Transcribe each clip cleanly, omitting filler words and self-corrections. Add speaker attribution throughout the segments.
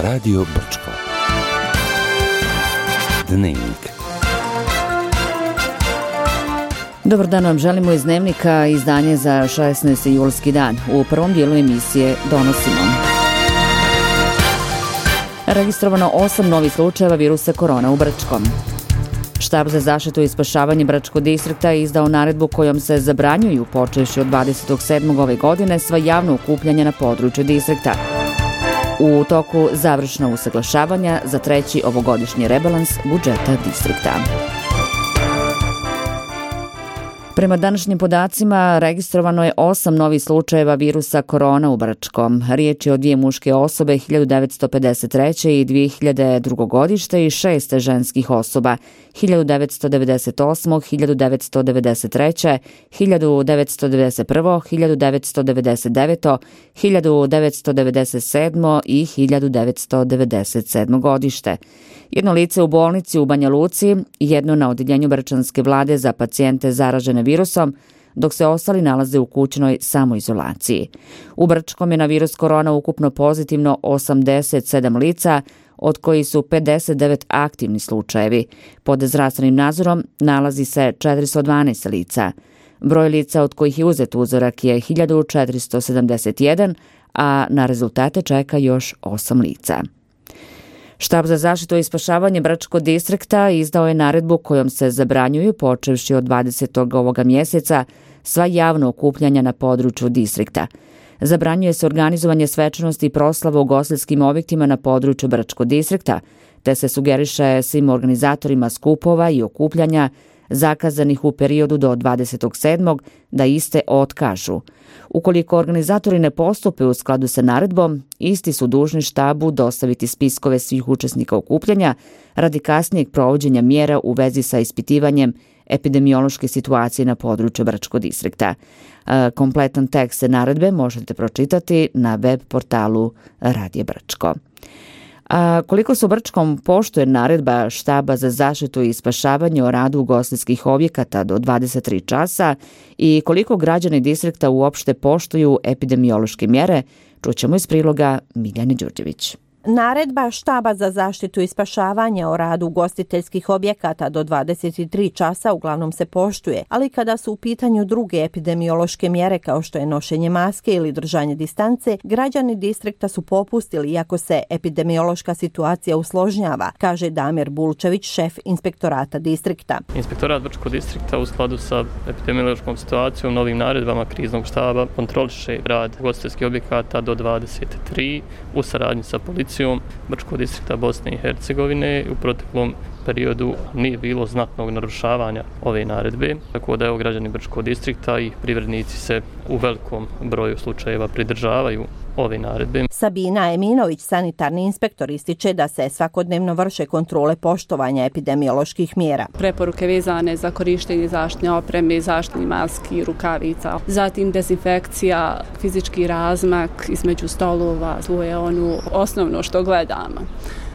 Speaker 1: Radio Brčko. Dnevnik.
Speaker 2: Dobar dan vam želimo iz Dnevnika, izdanje za 16. julski dan. U prvom dijelu emisije donosimo. Registrovano 8 novih slučajeva virusa korona u Brčkom. Štab za zaštitu i spašavanje Brčkog distrikta je izdao naredbu kojom se zabranjuju, počevši od 27. ove godine, sva javna okupljanja na području distrikta. U toku završna usaglašavanja za treći ovogodišnji rebalans budžeta distrikta. Prema današnjim podacima registrovano je 8 novih slučajeva virusa korona u Brčkom. Riječ je o 2 muške osobe 1953. i 2002. godište i 6 ženskih osoba 1998., 1993., 1991., 1999., 1997. i 1997. godište. Jedno lice u bolnici u Banja Luci, jedno na odjeljenju Brčanske vlade za pacijente zaražene virusom, dok se ostali nalaze u kućnoj samoizolaciji. U Brčkom je na virus korona ukupno pozitivno 87 lica, od kojih su 59 aktivni slučajevi. Pod zdravstvenim nadzorom nalazi se 412 lica. Broj lica od kojih je uzet uzorak je 1471, a na rezultate čeka još 8 lica. Štab za zaštitu i spašavanje Brčkog distrikta izdao je naredbu kojom se zabranjuju, počevši od 20. ovoga mjeseca, sva javna okupljanja na području distrikta. Zabranjuje se organizovanje svečanosti i proslava u ugostiteljskim objektima na području Brčkog distrikta, te se sugeriše svim organizatorima skupova i okupljanja zakazanih u periodu do 27. da iste otkažu. Ukoliko organizatori ne postupe u skladu sa naredbom, isti su dužni štabu dostaviti spiskove svih učesnika okupljanja radi kasnijeg provođenja mjera u vezi sa ispitivanjem epidemiološke situacije na području Brčkog distrikta. Kompletan tekst naredbe možete pročitati na web portalu Radija Brčko. A koliko se u Brčkom poštuje naredba Štaba za zaštitu i spašavanje o radu ugostiteljskih objekata do 23 časa i koliko građani distrikta uopšte poštuju epidemiološke mjere, čućemo iz priloga Miljane Đurđević.
Speaker 3: Naredba Štaba za zaštitu i spašavanje o radu ugostiteljskih objekata do 23 časa uglavnom se poštuje, ali kada su u pitanju druge epidemiološke mjere kao što je nošenje maske ili držanje distance, građani distrikta su popustili iako se epidemiološka situacija usložnjava, kaže Damir Bulčević, šef inspektorata distrikta.
Speaker 4: Inspektorat Brčkog distrikta u skladu sa epidemiološkom situacijom, novim naredbama kriznog štaba kontroliše rad ugostiteljskih objekata do 23 u saradnji sa policijom Brčkog distrikta Bosne i Hercegovine. U proteklom periodu nije bilo znatnog narušavanja ove naredbe, tako da građani Brčkog distrikta i privrednici se u velikom broju slučajeva pridržavaju ove naredbe.
Speaker 3: Sabina Eminović, sanitarni inspektor, ističe da se svakodnevno vrše kontrole poštovanja epidemioloških mjera.
Speaker 5: Preporuke vezane za korištenje zaštitne opreme, zaštitnih maski, rukavica, zatim dezinfekcija, fizički razmak između stolova, je osnovno što gledamo.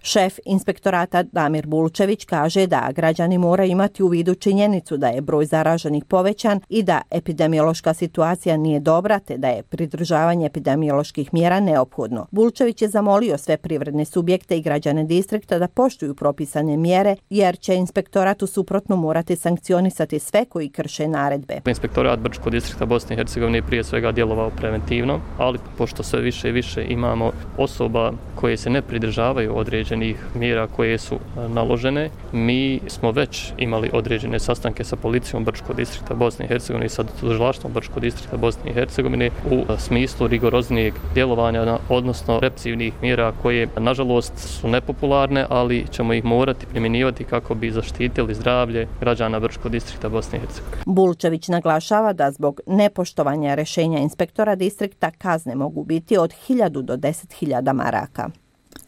Speaker 3: Šef inspektorata Damir Bulčević kaže da građani moraju imati u vidu činjenicu da je broj zaraženih povećan i da epidemiološka situacija nije dobra, te da je pridržavanje epidemioloških mjera neophodno. Bulčević je zamolio sve privredne subjekte i građane distrikta da poštuju propisane mjere, jer će inspektorat u suprotno morati sankcionisati sve koji krše naredbe.
Speaker 4: Inspektorat Brčkog distrikta Bosne i Hercegovine je prije svega djelovao preventivno, ali pošto sve više i više imamo osoba koje se ne pridržavaju određenih mjera koje su naložene, mi smo već imali određene sastanke sa policijom Brčkog distrikta Bosne i Hercegovine i sa tužilaštvom Brčkog distrikta Bosne i Hercegovine u smislu rigoroznijeg djelovanja, odnosno represivnih mjera koje nažalost su nepopularne, ali ćemo ih morati primjenjivati kako bi zaštitili zdravlje građana Brčkog distrikta Bosne i Hercegovine.
Speaker 3: Bulčević naglašava da zbog nepoštovanja rješenja inspektora distrikta kazne mogu biti od 1000 do 10.000 maraka.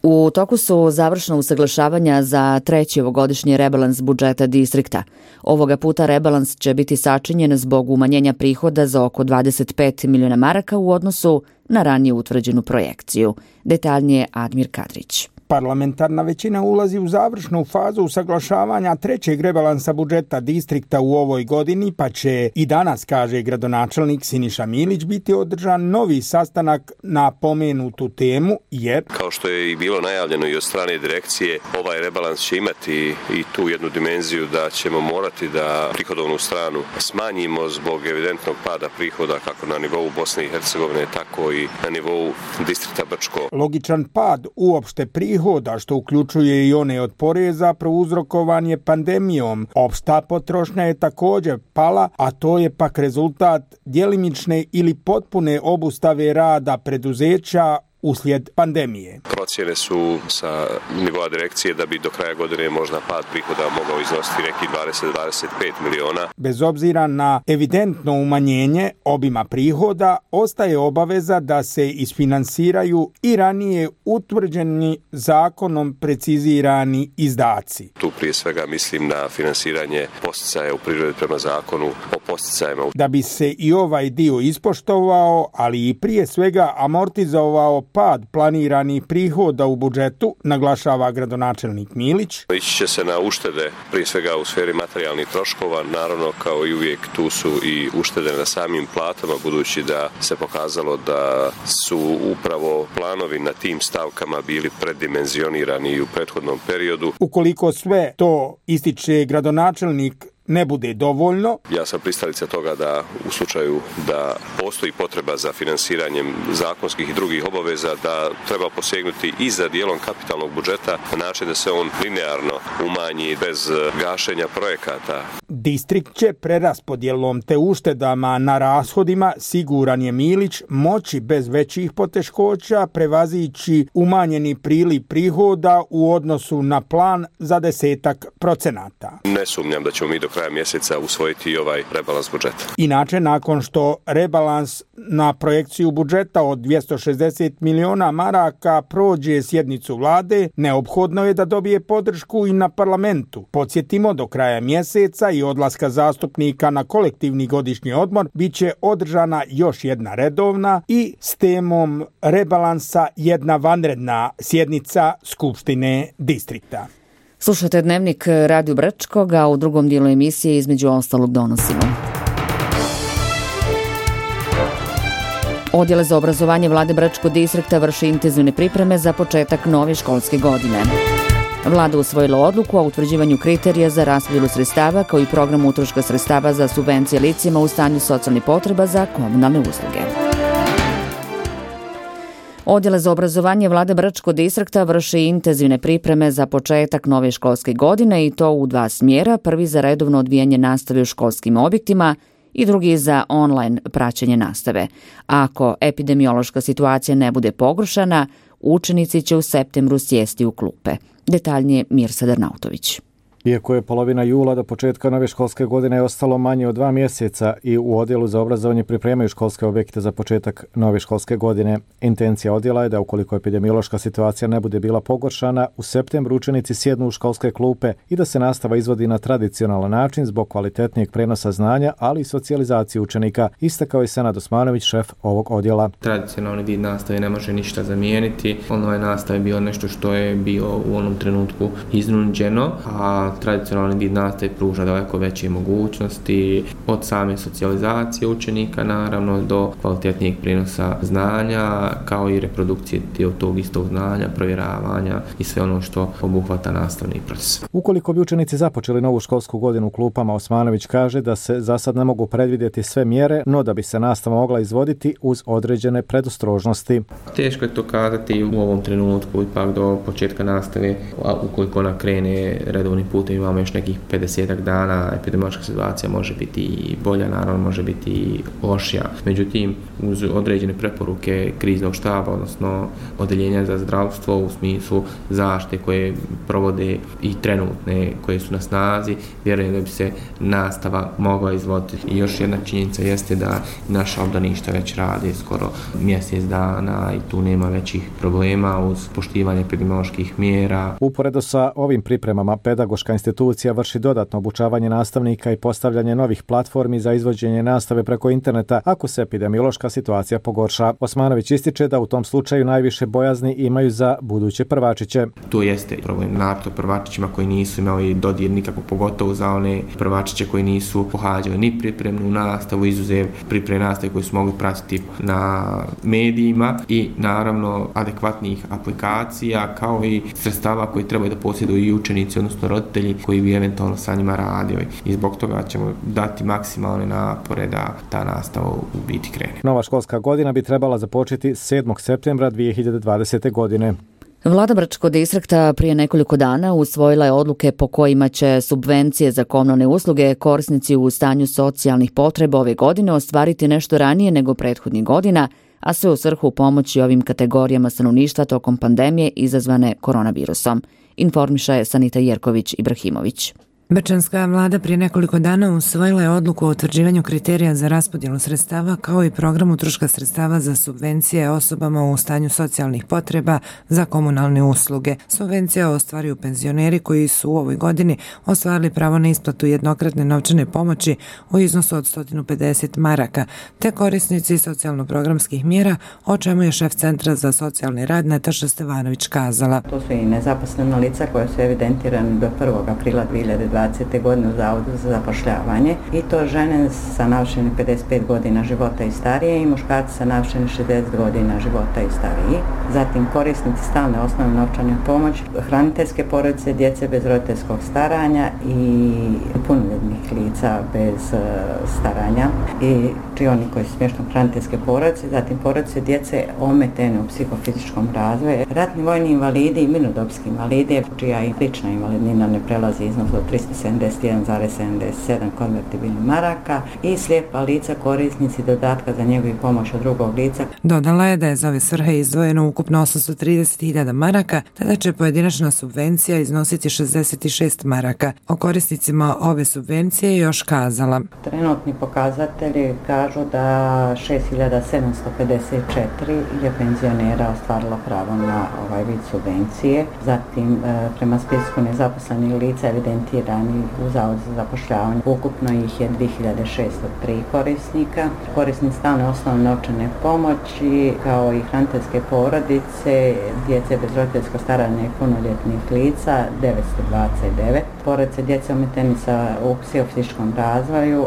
Speaker 2: U toku su završna usaglašavanja za treći ovogodišnji rebalans budžeta distrikta. Ovoga puta rebalans će biti sačinjen zbog umanjenja prihoda za oko 25 miliona maraka u odnosu na ranije utvrđenu projekciju. Detaljnije Admir Kadrić.
Speaker 6: Parlamentarna većina ulazi u završnu fazu usaglašavanja trećeg rebalansa budžeta distrikta u ovoj godini, pa će i danas, kaže gradonačelnik Siniša Milić, biti održan novi sastanak na pomenutu temu, jer
Speaker 7: kao što je i bilo najavljeno i od strane direkcije, ovaj rebalans će imati i tu jednu dimenziju da ćemo morati da prihodovnu stranu smanjimo zbog evidentnog pada prihoda kako na nivou Bosne i Hercegovine, tako i na nivou distrikta Brčko.
Speaker 6: Logičan pad uopšte prihoda, što uključuje i one od poreza, prouzrokovan je pandemijom. Opšta potrošnja je također pala, a to je pak rezultat djelimične ili potpune obustave rada preduzeća uslijed pandemije.
Speaker 7: Procjene su sa nivoa direkcije da bi do kraja godine možda pad prihoda mogao iznositi neki 20-25 miliona.
Speaker 6: Bez obzira na evidentno umanjenje obima prihoda, ostaje obaveza da se isfinansiraju i ranije utvrđeni zakonom precizirani izdaci.
Speaker 7: Tu prije svega mislim na finansiranje posticaja u prirodi prema zakonu o posticajima.
Speaker 6: Da bi se i ovaj dio ispoštovao, ali i prije svega amortizovao pad planiranih prihoda u budžetu, naglašava gradonačelnik Milić.
Speaker 7: Ići će se na uštede, prije svega u sferi materijalnih troškova, naravno kao i uvijek tu su i uštede na samim platama, budući da se pokazalo da su upravo planovi na tim stavkama bili preddimenzionirani u prethodnom periodu.
Speaker 6: Ukoliko sve to, ističe gradonačelnik, ne bude dovoljno.
Speaker 7: Ja sam pristalica toga da u slučaju da postoji potreba za finansiranjem zakonskih i drugih obaveza, da treba posegnuti i za dijelom kapitalnog budžeta na način da se on linearno umanji bez gašenja projekata.
Speaker 6: Distrikt će preraspodjelom te uštedama na rashodima, siguran je Milić, moći bez većih poteškoća prevazići umanjeni priliv prihoda u odnosu na plan za 10%.
Speaker 7: Ne sumnjam da ćemo mi do kraja mjeseca usvojiti i ovaj rebalans budžeta.
Speaker 6: Inače, nakon što rebalans na projekciju budžeta od 260 miliona maraka prođe sjednicu vlade, neophodno je da dobije podršku i na parlamentu. Podsjetimo, do kraja mjeseca i odlaska zastupnika na kolektivni godišnji odmor bit će održana još jedna redovna i s temom rebalansa jedna vanredna sjednica Skupštine distrikta.
Speaker 2: Slušajte Dnevnik Radio Brčkog, a u drugom dijelu emisije između ostalog donosimo. Odjel za obrazovanje vlade Brčkog distrikta vrši intenzivne pripreme za početak nove školske godine. Vlada usvojila odluku o utvrđivanju kriterija za raspodjelu sredstava kao i program utroška sredstava za subvencije licima u stanju socijalnih potreba za komunalne usluge. Odjel za obrazovanje vlade Brčkog distrikta vrši intenzivne pripreme za početak nove školske godine i to u dva smjera, prvi za redovno odvijanje nastave u školskim objektima i drugi za online praćenje nastave. Ako epidemiološka situacija ne bude pogoršana, učenici će u septembru sjesti u klupe. Detaljnije Mirsa Darnautović.
Speaker 8: Iako je polovina jula do početka nove školske godine ostalo manje od 2 mjeseca i u odjelu za obrazovanje pripremaju školske objekte za početak nove školske godine, intencija odjela je da ukoliko epidemiološka situacija ne bude bila pogoršana, u septembru učenici sjednu u školske klupe i da se nastava izvodi na tradicionalan način zbog kvalitetnijeg prenosa znanja, ali i socijalizacije učenika, istakao je Senad Osmanović, šef ovog odjela.
Speaker 9: Tradicionalni vid nastave ne može ništa zamijeniti. Online nastave je bilo nešto što je bilo u onom trenutku iznuđeno, a tradicionalni vid nastave pruža daleko veće mogućnosti od same socijalizacije učenika naravno do kvalitetnijeg prinosa znanja kao i reprodukcije tog istog znanja, provjeravanja i sve ono što obuhvata nastavni proces.
Speaker 8: Ukoliko bi učenici započeli novu školsku godinu u klupama, Osmanović kaže da se za sad ne mogu predvidjeti sve mjere, no da bi se nastava mogla izvoditi uz određene predostrožnosti.
Speaker 9: Teško je to kazati u ovom trenutku, ipak do početka nastave, a ukoliko ona krene redovni put, imamo još nekih 50 dana, epidemiološka situacija može biti i bolja, naravno može biti i lošija. Međutim, uz određene preporuke kriznog štaba, odnosno odeljenja za zdravstvo u smislu zaštite koje provode i trenutne koje su na snazi, vjerujem da bi se nastava mogla izvoditi. I još jedna činjenica jeste da naša obdaništa već rade skoro mjesec dana i tu nema većih problema uz poštivanje epidemioloških mjera.
Speaker 8: Uporedo sa ovim pripremama, pedagoška institucija vrši dodatno obučavanje nastavnika i postavljanje novih platformi za izvođenje nastave preko interneta ako se epidemiološka situacija pogorša. Osmanović ističe da u tom slučaju najviše bojazni imaju za buduće prvačiće.
Speaker 9: To jeste problem nato prvačićima koji nisu imali dodir nikako, pogotovo za one prvačiće koji nisu pohađali ni pripremnu nastavu, izuzev pripremne nastave koji su mogli pratiti na medijima i naravno adekvatnih aplikacija kao i sredstava koji trebaju da posjeduju i učenici, odnosno roditelji koji bi eventualno sa njima radili. I zbog toga ćemo dati maksimalne napore da ta nastava u biti krene.
Speaker 8: Nova školska godina bi trebala započeti 7. septembra 2020. godine.
Speaker 2: Vlada Brčkog distrikta prije nekoliko dana usvojila je odluke po kojima će subvencije za komunalne usluge korisnici u stanju socijalnih potreba ove godine ostvariti nešto ranije nego prethodnih godina, a sve u svrhu pomoći ovim kategorijama stanovništva tokom pandemije izazvane koronavirusom, informiše Sanita Jerković-Ibrahimović.
Speaker 10: Brčanska vlada prije nekoliko dana usvojila je odluku o utvrđivanju kriterija za raspodjelu sredstava kao i program utroška sredstava za subvencije osobama u stanju socijalnih potreba za komunalne usluge. Subvencija ostvaruju penzioneri koji su u ovoj godini ostvarili pravo na isplatu jednokratne novčane pomoći u iznosu od 150 maraka, te korisnici socijalno-programskih mjera, o čemu je šef Centra za socijalni rad Nataša Stevanović kazala.
Speaker 11: To su i nezaposlena lica koja su evidentirane do 1. aprila 2020. godine u Zavodu za zapošljavanje i to žene sa navršenih 55 godina života i starije i muškarci sa navršenih 60 godina života i stariji. Zatim korisnici stalne osnovne novčane pomoći, hraniteljske porodice, djece bez roditeljskog staranja i punoljetnih lica bez staranja i oni koji su smješteni u hraniteljske porodice, zatim porodice djece ometene u psihofizičkom razvoju, ratni vojni invalidi i mirnodopski invalidi čija i lična invalidnina ne prelazi iznos od 371,77 konvertibilnih maraka i slijepa lica korisnici dodatka za njegu i pomoć od drugog lica.
Speaker 10: Dodala je da je za ove svrhe izdvojeno ukupno 830.000 maraka, te da će pojedinačna subvencija iznositi 66 maraka. O korisnicima ove subvencije je još kazala.
Speaker 11: Trenutni pokazatelji kažu da 6.754 je penzionera ostvarilo pravo na ovaj vid subvencije. Zatim prema spisku nezaposlenih lica evidentirani u Zavodu za zapošljavanje. Ukupno ih je 2603 korisnika. Korisnici stalne osnovne novčane pomoći kao i hraniteljske porodice, djece bez roditeljskog staranja i punoljetnih lica 929. Porodice djece ometeni u psihofizičkom razvoju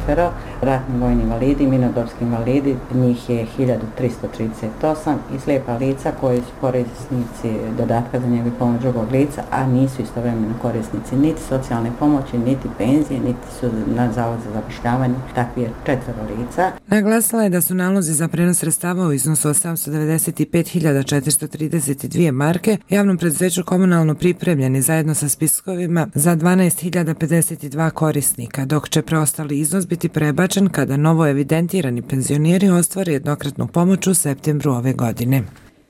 Speaker 11: 424. Ratni vojni invalidi i mirnodopski invalidi njih je 1338 i slijepa lica koji su korisnici dodatka za njegu i pomoć drugog lica, a nisu istovremeno korisnici niti socijalne pomoći, niti penzije, niti su na Zavod za zapošljavanje, takvi je 4 lica.
Speaker 10: Naglasila je da su nalozi za prenos sredstava u iznosu od 795.432 marke javnom preduzeću komunalno pripremljeni zajedno sa spiskovima za 12.052 korisnika, dok će preostali iznos biti prebačen kada novo evidentirani penzioneri ostvare jednokratnu pomoć u septembru ove godine.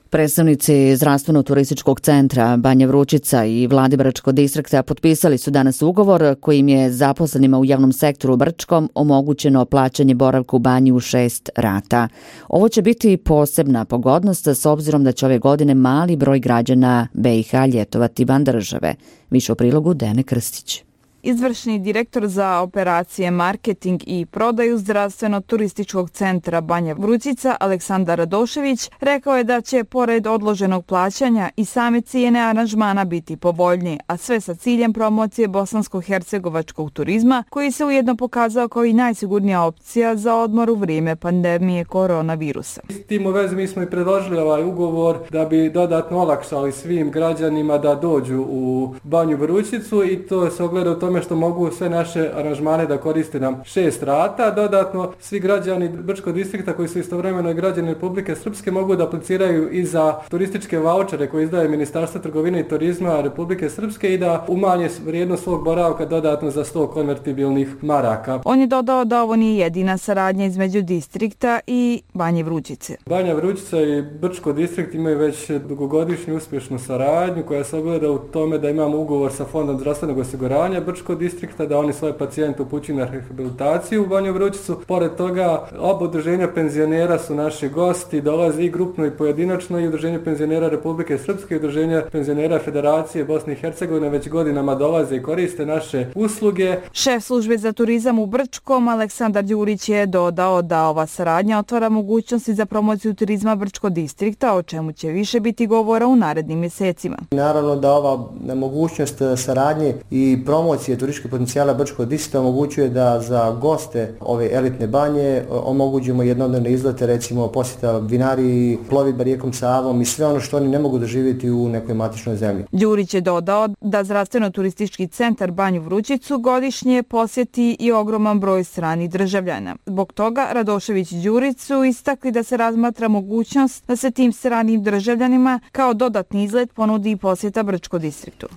Speaker 2: Predstavnici Zdravstveno-turističkog centra Banja Vrućica i Vlade Brčkog distrikta potpisali su danas ugovor kojim je zaposlenima u javnom sektoru u Brčkom omogućeno plaćanje boravka u banji u 6 rata. Ovo će biti posebna pogodnost s obzirom da će ove godine mali broj građana BiH ljetovati van države. Više u prilogu Dene Krstić.
Speaker 12: Izvršni direktor za operacije, marketing i prodaju Zdravstveno-turističkog centra Banja Vrućica Aleksandar Radošević rekao je da će pored odloženog plaćanja i same cijene aranžmana biti povoljnije, a sve sa ciljem promocije bosansko-hercegovačkog turizma koji se ujedno pokazao kao i najsigurnija opcija za odmor u vrijeme pandemije koronavirusa.
Speaker 13: S tim u vezi mi smo i predložili ovaj ugovor da bi dodatno olakšali svim građanima da dođu u Banju Vrućicu i to se ogleda u tome što mogu sve naše aranžmane da koriste na 6 rata. Dodatno, svi građani Brčkog distrikta koji su istovremeno i građani Republike Srpske mogu da apliciraju i za turističke vaučere koje izdaje Ministarstvo trgovine i turizma Republike Srpske i da umanje vrijednost svog boravka dodatno za 100 konvertibilnih maraka.
Speaker 12: On je dodao da ovo nije jedina saradnja između distrikta i Banje Vrućice.
Speaker 13: Banja Vrućica i Brčko distrikt imaju već dugogodišnju uspješnu saradnju koja se ogleda u tome da imamo ugovor sa Fondom zdravstvenog osiguranja Brčkog Brčkog distrikta, da oni svoje pacijente upućuju na rehabilitaciju u Banju Vrućicu. Pored toga, oba udruženja penzionera su naši gosti, dolaze i grupno i pojedinačno, i Udruženje penzionera Republike Srpske i Udruženje penzionera Federacije Bosne i Hercegovine već godinama dolaze i koriste naše usluge.
Speaker 12: Šef službe za turizam u Brčkom, Aleksandar Đurić, je dodao da ova saradnja otvara mogućnosti za promociju turizma Brčkog distrikta, o čemu će više biti govora u narednim mjesecima.
Speaker 14: Naravno da ova mogućnost saradnje i promocije turističkih potencijala Brčkog distrikta omogućuje da za goste ove elitne banje omogućimo jednodnevne izlete, recimo posjeta vinariji, plovidba rijekom Savom i sve ono što oni ne mogu doživjeti u nekoj matičnoj zemlji.
Speaker 12: Đurić je dodao da zdravstveno-turistički centar Banju Vrućicu godišnje posjeti i ogroman broj stranih državljana. Zbog toga Radošević i Đurić su istakli da se razmatra mogućnost da se tim stranim državljanima kao dodatni izlet ponudi i posjeta Brčkom distriktu.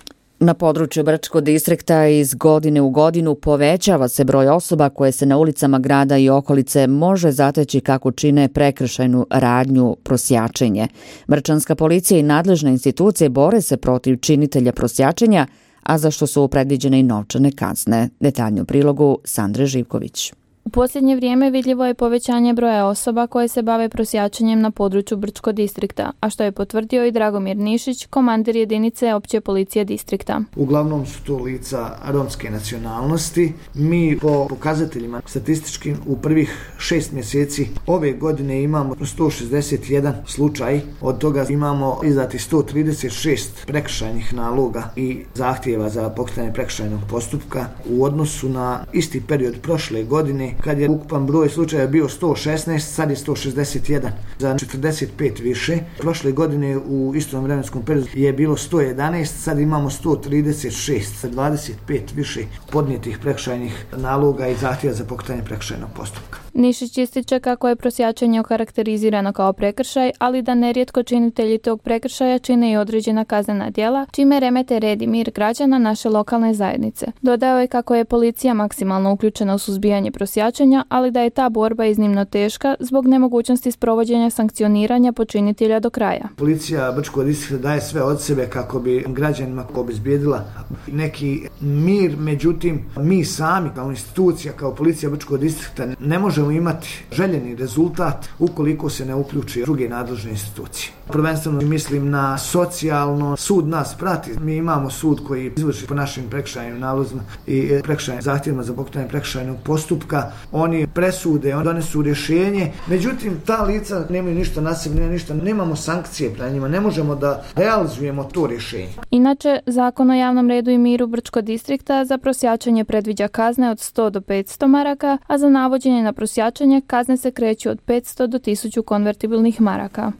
Speaker 2: Na području Brčkog distrikta iz godine u godinu povećava se broj osoba koje se na ulicama grada i okolice može zateći kako čine prekršajnu radnju prosjačenje. Brčanska policija i nadležne institucije bore se protiv činitelja prosjačenja, a za što su predviđene i novčane kazne. Detaljno u prilogu Sandre Živković.
Speaker 15: U posljednje vrijeme vidljivo je povećanje broja osoba koje se bave prosjačenjem na području Brčkog distrikta, a što je potvrdio i Dragomir Nišić, komandir jedinice opće policije distrikta.
Speaker 16: Uglavnom su to lica romske nacionalnosti. Mi po pokazateljima statističkim u prvih 6 mjeseci ove godine imamo 161 slučaj, od toga imamo izdati 136 prekršajnih naloga i zahtjeva za pokretanje prekršajnog postupka u odnosu na isti period prošle godine, kad je ukupan broj slučaja bio 116, sad je 161, za 45 više. Prošle godine u istom vremenskom periodu je bilo 111, sad imamo 136, sa 25 više podnijetih prekršajnih naloga i zahtjeva za pokretanje prekršajnog postupka.
Speaker 15: Nišić ističe kako je prosjačenje okarakterizirano kao prekršaj, ali da nerijetko činitelji tog prekršaja čine i određena kaznena djela, čime remete red i mir građana naše lokalne zajednice. Dodao je kako je policija maksimalno uključena u suzbijanje prosjačenja, ali da je ta borba iznimno teška zbog nemogućnosti sprovođenja sankcioniranja počinitelja do kraja.
Speaker 16: Policija Brčkog distrikta daje sve od sebe kako bi građanima obezbijedila neki mir, međutim mi sami kao institucija, kao policija Brčkog distrikta ne možemo imati željeni rezultat ukoliko se ne uključi druge nadležne institucije. Prvenstveno mislim na socijalno, sud nas prati, mi imamo sud koji izvrši po našim prekršajnim nalozima i prekršajnim zahtjevima za pokretanje prekršajnog postupka, oni presude, oni donesu rješenje, međutim ta lica nemaju ništa na sebi, nemamo sankcije prema njima, ne možemo da realizujemo to rješenje.
Speaker 15: Inače, Zakon o javnom redu i miru Brčkog distrikta za prosjačenje predviđa kazne od 100 do 500 maraka, a za navođenje na prosjačenje kazne se kreću od 500 do 1000 konvertibilnih maraka.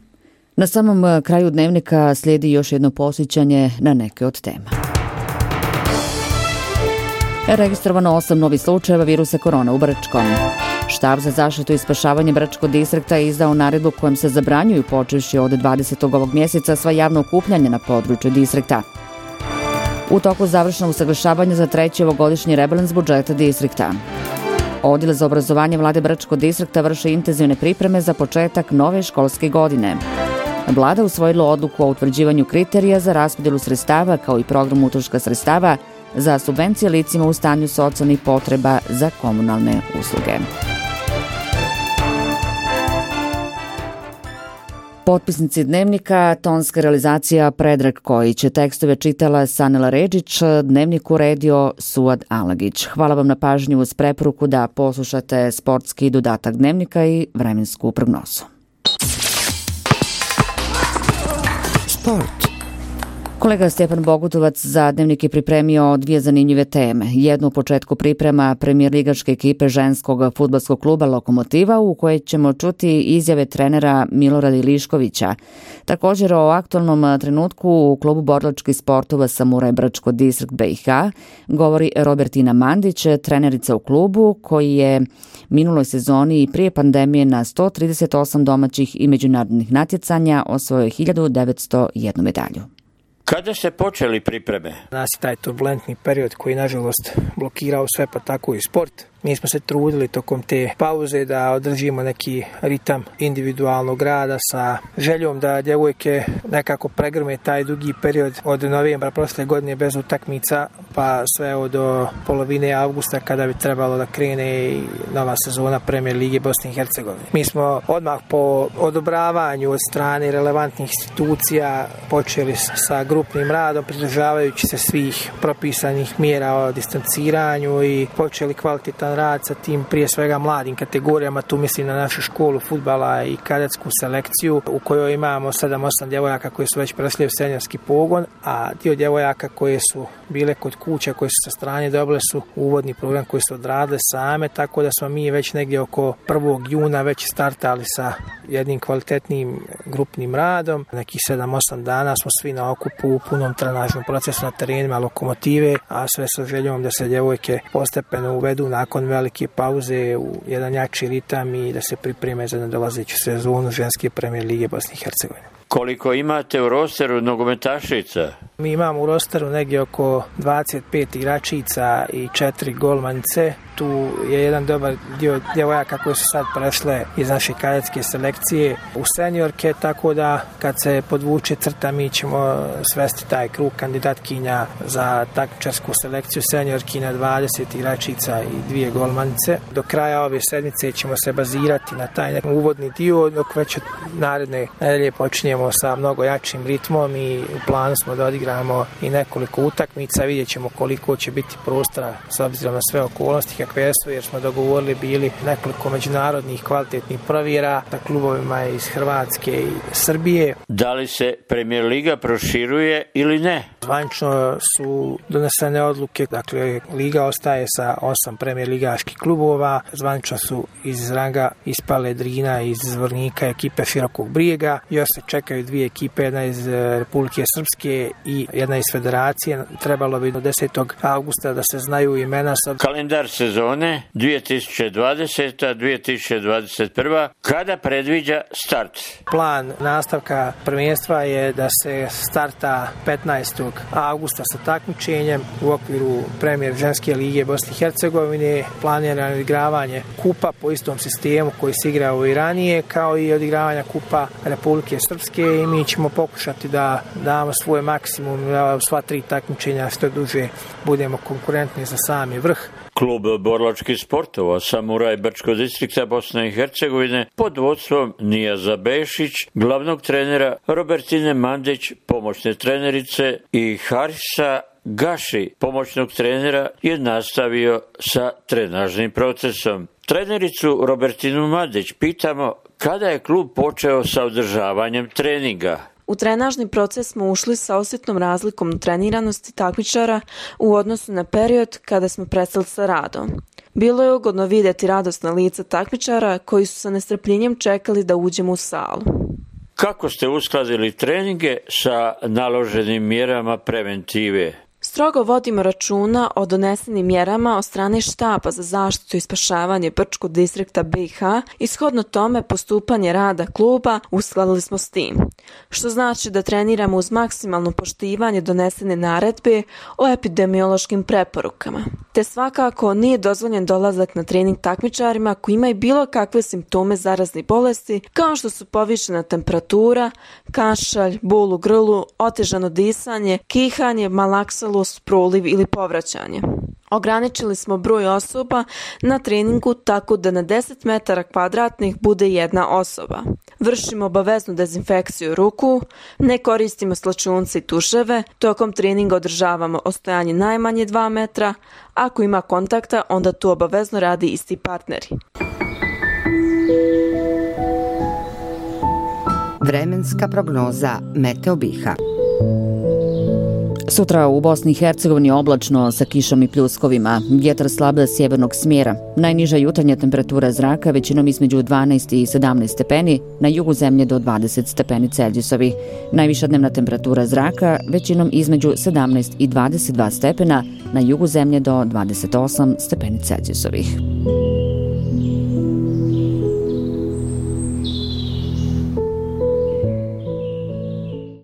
Speaker 2: Na samom kraju dnevnika slijedi još jedno posjećanje na neke od tema. Registrovano 8 novih slučajeva virusa korona u Brčkom. Štab za zaštitu i spašavanje Brčkog distrikta je izdao naredbu kojom se zabranjuju počevši od 20. ovog mjeseca sva javna okupljanja na području distrikta. U toku završeno usaglašavanje za 3. ovogodišnji rebalans budžeta distrikta. Odjel za obrazovanje vlade Brčkog distrikta vrši intenzivne pripreme za početak nove školske godine. Vlada usvojila odluku o utvrđivanju kriterija za raspodjelu sredstava kao i program utroška sredstava za subvencije licima u stanju socijalnih potreba za komunalne usluge. Potpisnici dnevnika, tonska realizacija Predrag Kojić, tekstove čitala Sanela Redžić, dnevnik uredio Suad Alagić. Hvala vam na pažnju uz preporuku da poslušate sportski dodatak dnevnika i vremensku prognozu. Sport. Kolega Stjepan Bogutovac za dnevnik je pripremio 2 zanimljive teme. Jednu u početku priprema premijer ligaške ekipe ženskog fudbalskog kluba Lokomotiva, u kojoj ćemo čuti izjave trenera Milorada Iliškovića. Također o aktualnom trenutku u klubu borilačkih sportova Samuraj Brčko distrikt BiH govori Robertina Mandić, trenerica u klubu koji je minuloj sezoni i prije pandemije na 138 domaćih i međunarodnih natjecanja osvojio 1901 medalju.
Speaker 17: Kada ste počeli pripreme?
Speaker 18: Nas je taj turbulentni period koji nažalost blokirao sve, pa tako i sport.
Speaker 17: Mi smo se trudili tokom te pauze da održimo neki ritam individualnog rada sa željom da djevojke nekako pregrme taj dugi period od novembra prošle godine bez utakmica pa sve do polovine avgusta kada bi trebalo da krene i nova sezona Premijer Lige Bosne i Hercegovine. Mi smo odmah po odobravanju od strane relevantnih institucija počeli sa grupnim radom, pridržavajući se svih propisanih mjera o distanciranju i počeli kvalitetan rad sa tim prije svega mladim kategorijama. Tu mislim na našu školu fudbala i kadetsku selekciju u kojoj imamo 7-8 djevojaka koji su već prešli u seniorski pogon, a dio djevojaka koje su bile kod kuća, koje su sa strane dobile su uvodni program koji su odradile same, tako da smo mi već negdje oko 1. juna već startali sa jednim kvalitetnim grupnim radom. Nekih 7-8 dana smo svi na okupu u punom trenažnom procesu na terenima Lokomotive, a sve sa željom da se djevojke postepeno uvedu nakon velike pauze u jedan jači ritam i da se pripreme za nadolazeću sezonu ženske Premijer Lige Bosne i Hercegovine.
Speaker 18: Koliko imate u rosteru nogometašica?
Speaker 17: Mi imamo u rosteru negdje oko 25 igračica i 4 golmanice. Tu je jedan dobar dio djevojaka koje su sad prešle iz naše kadetske selekcije u seniorke, tako da kad se podvuče crta mi ćemo svesti taj krug kandidatkinja za takmičarsku selekciju seniorki na 20 igračica i 2 golmanice. Do kraja ove sedmice ćemo se bazirati na taj uvodni dio, dok već od naredne nedelje počinjemo sa mnogo jačim ritmom i u planu smo da odigramo i nekoliko utakmica. Vidjet ćemo koliko će biti prostora s obzirom na sve okolnosti kakve su, jer smo dogovorili bili nekoliko međunarodnih kvalitetnih provjera sa klubovima iz Hrvatske i Srbije.
Speaker 18: Da li se Premijer Liga proširuje ili ne?
Speaker 17: Zvanično su donesene odluke, dakle Liga ostaje sa 8 Premijer ligaških klubova, zvanično su iz ranga ispale Drina iz Zvornika ekipe Širokog Brijega, još se čekaju 2 ekipe, jedna iz Republike Srpske i jedna iz Federacije. Trebalo bi do 10. avgusta da se znaju imena.
Speaker 18: Kalendar sezone 2020-2021 kada predviđa start?
Speaker 17: Plan nastavka prvenstva je da se starta 15. avgusta sa takmičenjem u okviru Premijer ženske lige Bosne i Hercegovine. Planirano odigravanje kupa po istom sistemu koji se igrao i ranije, kao i odigravanja kupa Republike Srpske, i mi ćemo pokušati da damo svoj maksimum da sva 3 takmičenja što duže budemo konkurentni za sami vrh.
Speaker 18: Klub borilačkih sportova Samuraj Brčko distrikta Bosne i Hercegovine pod vodstvom Nijaza Bešić, glavnog trenera Robertine Mandić, pomoćne trenerice i Harisa Gaši, pomoćnog trenera, je nastavio sa trenažnim procesom. Trenericu Robertinu Mandić pitamo kada je klub počeo sa održavanjem treninga.
Speaker 19: U trenažni proces smo ušli sa osjetnom razlikom treniranosti takmičara u odnosu na period kada smo prestali sa radom. Bilo je ugodno vidjeti radosna lica takmičara koji su sa nestrpljenjem čekali da uđemo u salu.
Speaker 18: Kako ste uskladili treninge sa naloženim mjerama preventive?
Speaker 19: Strogo vodimo računa o donesenim mjerama od strane štaba za zaštitu i spašavanje Brčkog distrikta BiH i shodno tome postupanje rada kluba uskladili smo s tim, što znači da treniramo uz maksimalno poštivanje donesene naredbe o epidemiološkim preporukama. Te svakako nije dozvoljen dolazak na trening takmičarima koji imaju bilo kakve simptome zaraznih bolesti, kao što su povišena temperatura, kašalj, bol u grlu, otežano disanje, kihanje, malaksalus, proliv ili povraćanje. Ograničili smo broj osoba na treningu tako da na 10 metara kvadratnih bude jedna osoba. Vršimo obaveznu dezinfekciju ruku, ne koristimo slačunce i tuševe, tokom treninga održavamo ostojanje najmanje 2 metra, ako ima kontakta onda tu obavezno radi isti partneri.
Speaker 20: Vremenska prognoza Meteo BiH.
Speaker 2: Sutra u Bosni i Hercegovini oblačno sa kišom i pljuskovima, vjetar slab sjevernog smjera. Najniža jutarnja temperatura zraka većinom između 12 i 17 stepeni, na jugu zemlje do 20 stepeni Celzijusovi. Najviša dnevna temperatura zraka većinom između 17 i 22 stepena, na jugu zemlje do 28 stepeni Celzijusovih.